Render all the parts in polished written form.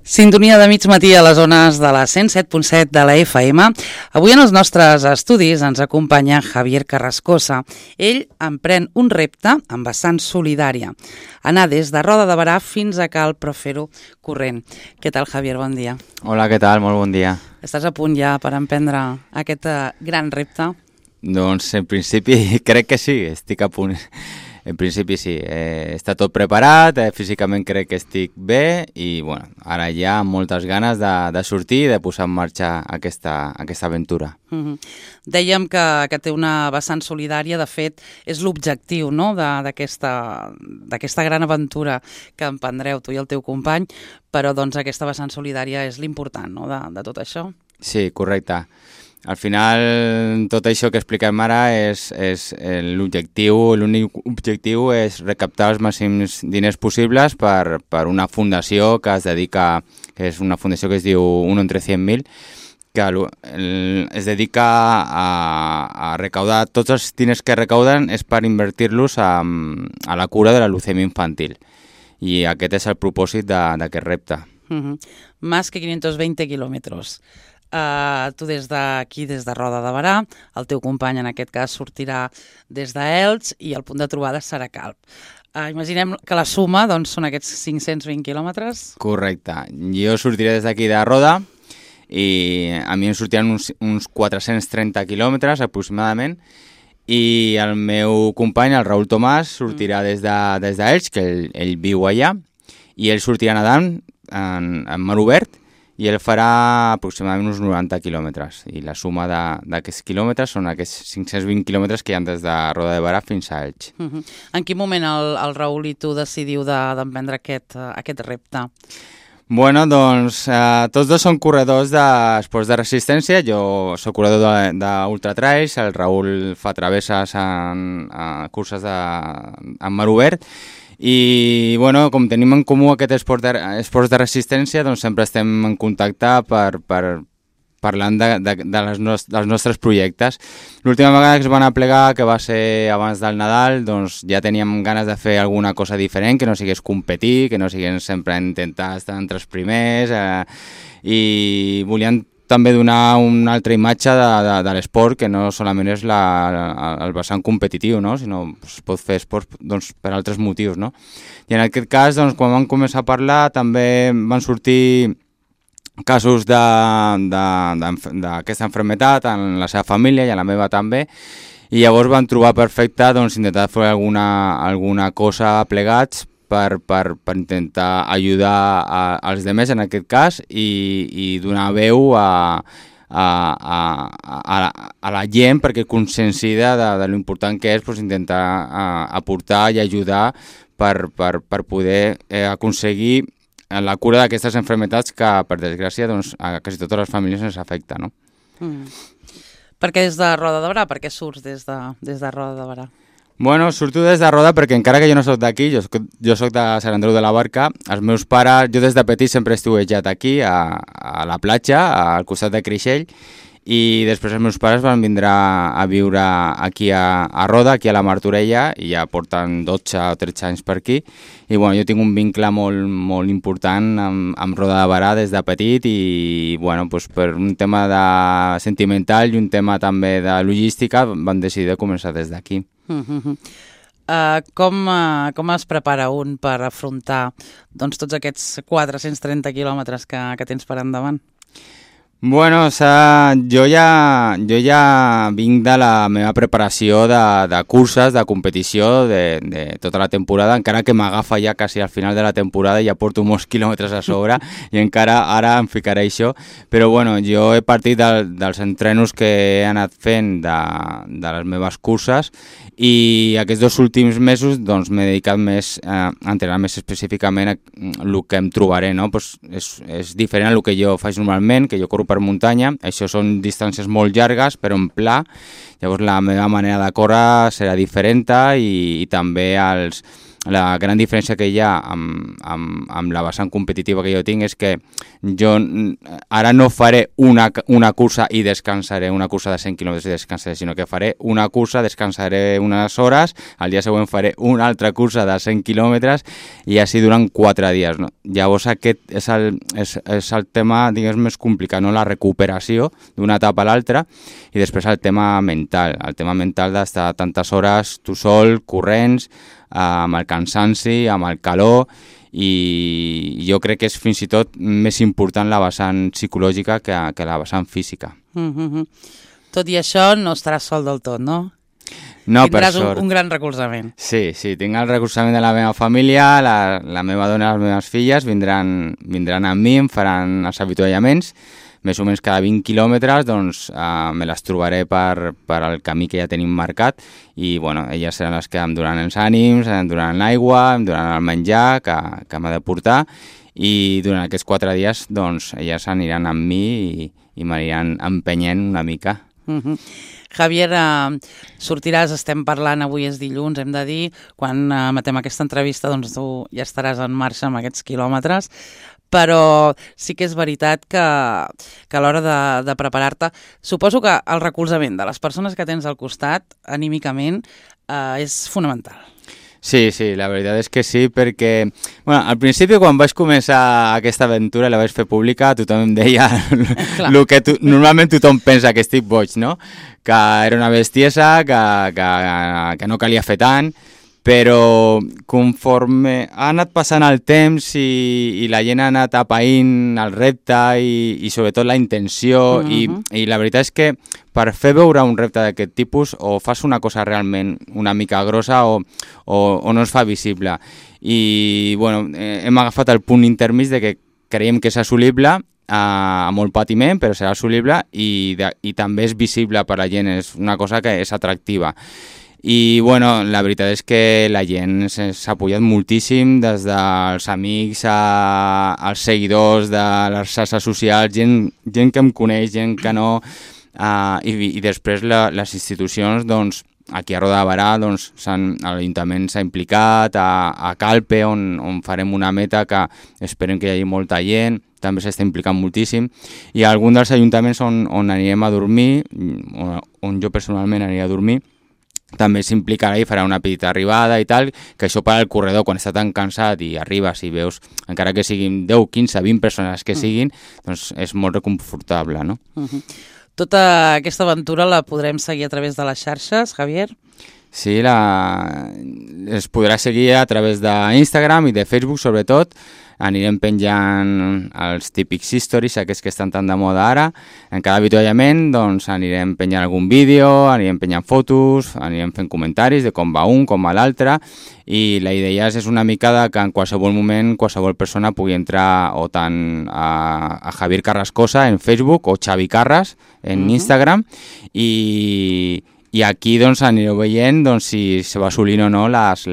Sintonia de mig matí a les zones de la 107.7 de la FM. Avui en els nostres estudis ens acompanya Javier Carrascosa. Ell emprèn un repte amb vessant solidària. Anar des de Roda de Berà fins a Cal, però fer-ho corrent. Què tal, Javier? Bon dia. Hola, què tal? Molt bon dia. Estàs a punt ja per emprendre aquest gran repte? Doncs en principi crec que sí, estic a punt. En principi sí, està tot preparat, físicament crec que estic bé i bueno, ara hi ha moltes ganes de sortir i de posar en marxa aquesta aventura. Dèiem que té una vessant solidària, de fet és l'objectiu, no? d'aquesta gran aventura que emprendreu tu i el teu company, però doncs aquesta vessant solidària és l'important, no? de tot això. Sí, correcte. Al final, tot això que expliquem ara és l'objectiu, l'únic objectiu és recaptar els màxims diners possibles per una fundació que es dedica, que és una fundació que es diu Uno entre 100.000, que es dedica a recaudar, tots els diners que recauden és per invertir-los a la cura de la leucèmia infantil. I aquest és el propòsit d'aquest repte. Más que 520 kilómetros. Tu des d'aquí, des de Roda de Berà, el teu company en aquest cas sortirà des d'Elx i el punt de trobada serà Calp. Imaginem que la suma doncs, són aquests 520 quilòmetres. Correcte. Jo sortiré des d'aquí de Roda i a mi em sortiran uns 430 quilòmetres aproximadament i el meu company, el Raül Tomàs, sortirà des d'Elx, que ell viu allà, i ell sortirà nedant en mar obert i ell farà aproximadament uns 90 quilòmetres. I la suma d'aquests quilòmetres són aquests 520 quilòmetres que hi ha des de Roda de Berà fins a Elx. En quin moment el Raül i tu decidiu d'emprendre aquest repte? Bueno, doncs tots dos són corredors d'esports de resistència. Jo soc corredor d'ultratrails, el Raül fa travesses en curses en mar obert. I bueno, com tenim en comú aquest esports de resistència, doncs sempre estem en contacte parlant dels nostres projectes. L'última vegada que es van aplegar, que va ser abans del Nadal, doncs ja teníem ganes de fer alguna cosa diferent, que no sigués competir, que no sigués sempre intentar estar entre els primers, i volíem també donar una altra imatge de l'esport, que no solament és el vessant competitiu, no? Sinó es pot fer esport doncs, per altres motius. No? I en aquest cas, doncs, quan vam començar a parlar, també van sortir casos d'aquesta malaltia en la seva família i en la meva també, i llavors van trobar perfecte doncs, intentar fer alguna cosa plegats per intentar ajudar als demés en aquest cas i donar veu a la gent perquè conscienciï de l'important que és doncs, intentar aportar i ajudar per poder aconseguir la cura d'aquestes malalties que, per desgràcia, doncs, a quasi totes les famílies ens afecta, no? Per què des de Roda de Berà? Per què surts des de Roda de Berà? Bueno, surto des de Roda perquè encara que jo no soc d'aquí, jo soc de Sant Andreu de la Barca, els meus pares, jo des de petit sempre he estiuejat aquí, a la platja, al costat de Creixell, i després els meus pares van vindre a viure aquí a Roda, aquí a la Martorella, i ja porten 12 o 13 anys per aquí, i bueno, jo tinc un vincle molt, molt important amb Roda de Berà des de petit, i bueno, doncs per un tema sentimental i un tema també de logística van decidir de començar des d'aquí. Com es prepara un per afrontar doncs, tots aquests 430 quilòmetres que tens per endavant? Bueno, jo ja vinc de la meva preparació de curses, de competició, de tota la temporada, encara que m'agafa ja quasi al final de la temporada i ja porto molts quilòmetres a sobre i encara ara em ficaré això, però bueno, jo he partit dels entrenos que he anat fent de les meves curses i aquests 2 últims mesos doncs, m'he dedicat més a entrenar més específicament el que em trobaré, no? Pues és diferent al que jo faig normalment, que jo corro per muntanya, això són distàncies molt llargues però en pla, llavors la meva manera de córrer serà diferent i també els la gran diferència que hi ha amb la vessant competitiva que jo tinc és que jo ara no faré una cursa i descansaré, una cursa de 100 quilòmetres i descansaré, sinó que faré una cursa, descansaré unes hores, al dia següent faré una altra cursa de 100 quilòmetres i així durant 4 dies. No? Llavors aquest és el tema, diguem, més complicat, no? La recuperació d'una etapa a l'altra i després el tema mental d'estar tantes hores tu sol, corrents, amb el cansanci, amb el calor, i jo crec que és fins i tot més important la vessant psicològica que la vessant física. Tot i això no estaràs sol del tot, no? No, tindràs per sort. Un gran recolzament. Sí, tinc el recolzament de la meva família, la meva dona i les meves filles vindran amb mi, em faran els avituallaments, més o menys cada 20 quilòmetres, doncs me les trobaré per al camí que ja tenim marcat i bueno, elles seran les que em donaran els ànims, em donaran l'aigua, em donaran el menjar que m'ha de portar i durant aquests 4 dies doncs elles aniran amb mi i m'aniran empenyent una mica. Javier, sortiràs, estem parlant, avui és dilluns, hem de dir, quan matem aquesta entrevista doncs tu ja estaràs en marxa amb aquests quilòmetres, però sí que és veritat que a l'hora de preparar-te, suposo que el recolzament de les persones que tens al costat, anímicament, és fonamental. Sí, la veritat és que sí, perquè al principi quan vaig començar aquesta aventura, la vaig fer pública, tothom em deia el que normalment tothom pensa, que estic boig, no? Que era una bestiesa, que no calia fer tant, però conforme ha anat passant el temps i la gent ha anat apaïnt el repte i sobretot la intenció i la veritat és que per fer veure un repte d'aquest tipus o fas una cosa realment una mica grossa o no es fa visible. I hem agafat el punt intermig de que creiem que és assolible, amb molt patiment, però serà assolible i també és visible per la gent, és una cosa que és atractiva. I la veritat és que la gent s'ha apoyat moltíssim, des dels amics als seguidors de les xarxes socials, gent que em coneix, gent que no, i després les institucions, doncs, aquí a Roda de Barà, doncs, l'Ajuntament s'ha implicat, a Calpe, on farem una meta que esperem que hi hagi molta gent, també s'està implicant moltíssim, i algun dels ajuntaments on anirem a dormir, on jo personalment aniré a dormir, també s'implicarà i farà una petita arribada i tal, que això per al corredor, quan està tan cansat i arribes i veus, encara que siguin 10, 15, 20 persones que siguin, doncs és molt reconfortable, no? Tota aquesta aventura la podrem seguir a través de les xarxes, Javier? Sí, es podrà seguir a través d'Instagram i de Facebook, sobretot. Anirem penjant els típics stories, aquests que estan tan de moda ara. En cada avituallament doncs, anirem penjant algun vídeo, anirem penjant fotos, anirem fent comentaris de com va un, com va l'altre, i la idea és una mica que en qualsevol moment qualsevol persona pugui entrar o tant a Javier Carrascosa en Facebook o Xavi Carras en Instagram i aquí doncs, anireu veient doncs, si se va assolint o no les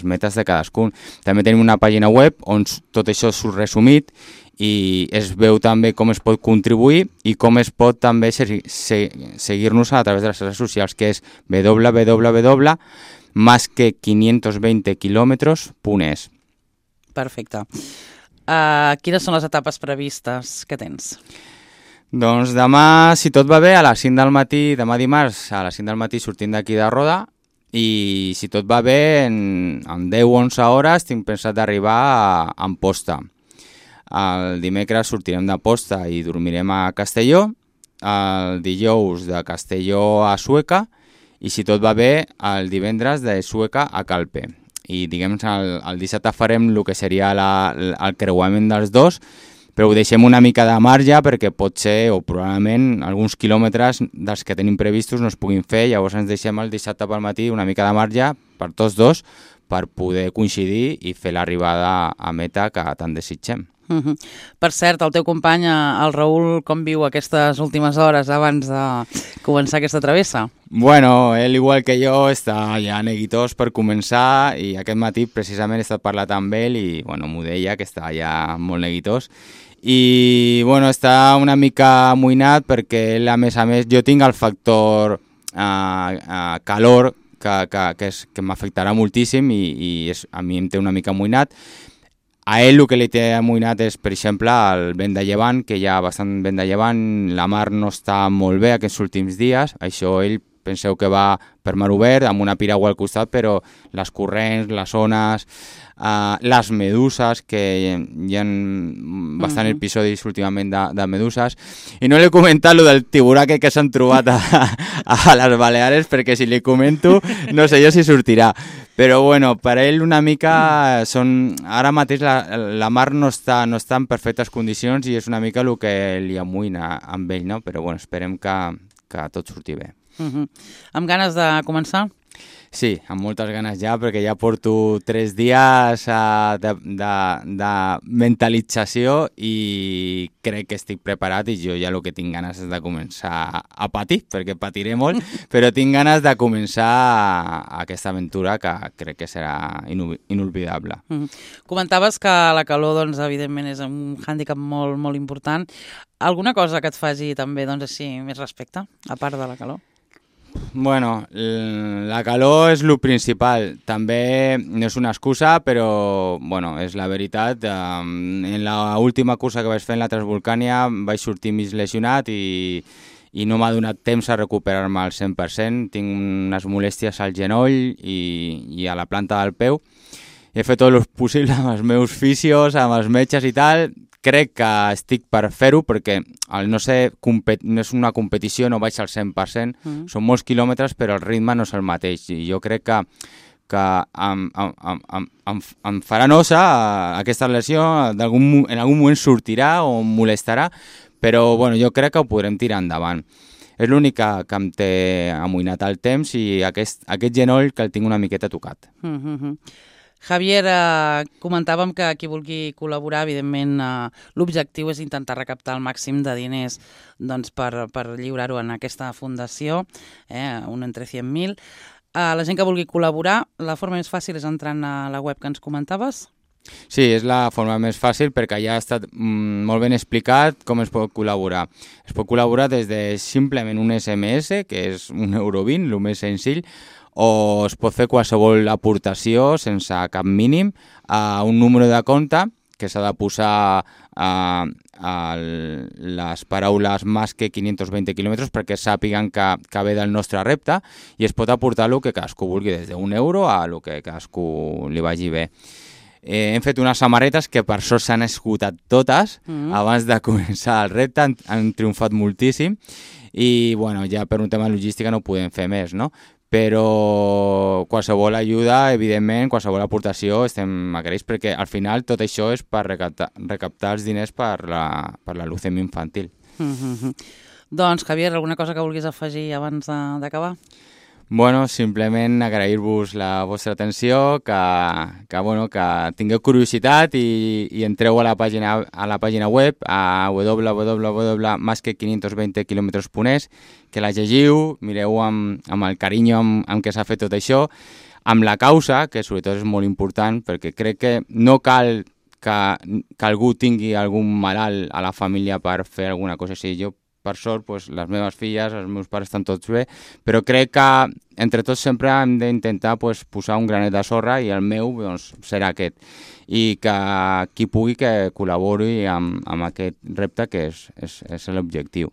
metes de cadascun. També tenim una pàgina web on tot això surt resumit i es veu també com es pot contribuir i com es pot també seguir-nos a través de les xarxes socials, que és www.masque520km.es. Perfecte. Quines són les etapes previstes que tens? Doncs demà, si tot va bé, a les 5 del matí, demà dimarts, a les 5 del matí sortim d'aquí de Roda i si tot va bé, en 10 o 11 hores tinc pensat d'arribar a Amposta. El dimecres sortirem d'Amposta i dormirem a Castelló, el dijous de Castelló a Sueca i si tot va bé, el divendres de Sueca a Calpe. I diguem, el dissabte farem el que seria el creuament dels dos, però ho deixem una mica de marge perquè pot ser, o probablement, alguns quilòmetres dels que tenim previstos no es puguin fer, llavors ens deixem el dissabte pel matí una mica de marge per tots dos per poder coincidir i fer l'arribada a meta que tant desitgem. Per cert, el teu company, el Raül, com viu aquestes últimes hores abans de començar aquesta travessa? Bueno, ell, igual que jo, està ja neguitós per començar i aquest matí precisament he estat parlant amb ell i m'ho deia, que està ja molt neguitós. I està una mica amoïnat perquè ell, a més, jo tinc el factor calor que m'afectarà moltíssim i a mi em té una mica amoïnat. A ell el que li té amoïnat és, per exemple, el vent de llevant, que hi ha bastant vent de llevant, la mar no està molt bé aquests últims dies, això ell penseu que va per mar obert, amb una piragua al costat, però les corrents, les ones, les meduses, que hi ha bastant episodis últimament de meduses, i no li he comentat lo del tiburà que s'han trobat a les Baleares, perquè si li comento no sé jo si sortirà. Però bueno, per ell una mica ara mateix la mar no està en perfectes condicions i és una mica el que li amoïna amb ell, no? Però bueno, esperem que tot surti bé. Amb ganes de començar? Sí, amb moltes ganes ja, perquè ja porto 3 dies de mentalització i crec que estic preparat i jo ja el que tinc ganes és de començar a patir, perquè patiré molt, però tinc ganes de començar aquesta aventura que crec que serà inolvidable. Comentaves que la calor, doncs, evidentment, és un hàndicap molt, molt important. Alguna cosa que et faci també, doncs, així, més respecte, a part de la calor? Bueno, la calor és el principal. També no és una excusa, però bueno, és la veritat. En l'última cursa que vaig fer en la Transvolcània vaig sortir mig lesionat i no m'ha donat temps a recuperar-me al 100%. Tinc unes molèsties al genoll i a la planta del peu. He fet tot el possible amb els meus fisios, amb els metges i tal. Crec que estic per fer-ho perquè no és una competició, no vaig al 100%, són molts quilòmetres però el ritme no és el mateix i jo crec que em farà nosa aquesta lesió, en algun moment sortirà o em molestarà, però bueno, jo crec que ho podrem tirar endavant. És l'únic que em té amoïnat el temps i aquest genoll que el tinc una miqueta tocat. Javier, comentàvem que qui vulgui col·laborar, evidentment, l'objectiu és intentar recaptar el màxim de diners doncs, per lliurar-ho en aquesta fundació, un entre 100.000. La gent que vulgui col·laborar, la forma més fàcil és entrant a la web que ens comentaves? Sí, és la forma més fàcil perquè ja ha estat molt ben explicat com es pot col·laborar. Es pot col·laborar des de simplement un SMS, que és €1,20, el més senzill, o es pot fer qualsevol aportació sense cap mínim a un número de compte que s'ha de posar les paraules més que 520 quilòmetres perquè sàpiguen que ve del nostre repte i es pot aportar el que cadascú vulgui, des d'1 € a el que cadascú li vagi bé. Hem fet unes samarretes que per sort s'han esgotat totes abans de començar el repte, han triomfat moltíssim i bueno, ja per un tema de logística no podem fer més, no? Però qualsevol ajuda, evidentment, qualsevol aportació estem agraïts perquè al final tot això és per recaptar els diners per la leucèmia infantil. Doncs, Javier, alguna cosa que vulguis afegir abans d'acabar? Bueno, simplement agrair-vos la vostra atenció, que tingueu curiositat i entreu a la pàgina web a www.masque520km.es, que la llegiu, mireu amb el carinyo amb què s'ha fet tot això, amb la causa, que sobretot és molt important, perquè crec que no cal que algú tingui algun malalt a la família per fer alguna cosa així. Jo, per sort, les meves filles, els meus pares estan tots bé, però crec que entre tots sempre hem d'intentar posar un granet de sorra i el meu serà aquest. I que qui pugui que col·labori amb aquest repte que és l'objectiu.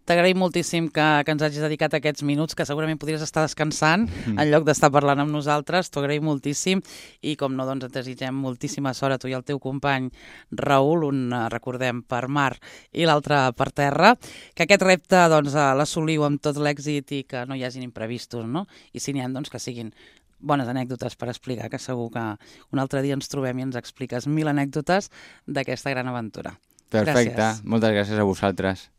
T'agraïm moltíssim que ens hagis dedicat aquests minuts, que segurament podries estar descansant en lloc d'estar parlant amb nosaltres. T'ho agraïm moltíssim i, com no, doncs et desitgem moltíssima sort a tu i al teu company Raül, un, recordem, per mar i l'altre per terra, que aquest repte doncs, l'assoliu amb tot l'èxit i que no hi hagin imprevistos, no? I si n'hi ha, doncs que siguin bones anècdotes per explicar, que segur que un altre dia ens trobem i ens expliques 1000 anècdotes d'aquesta gran aventura. Perfecte, Gràcies. moltes gràcies a vosaltres.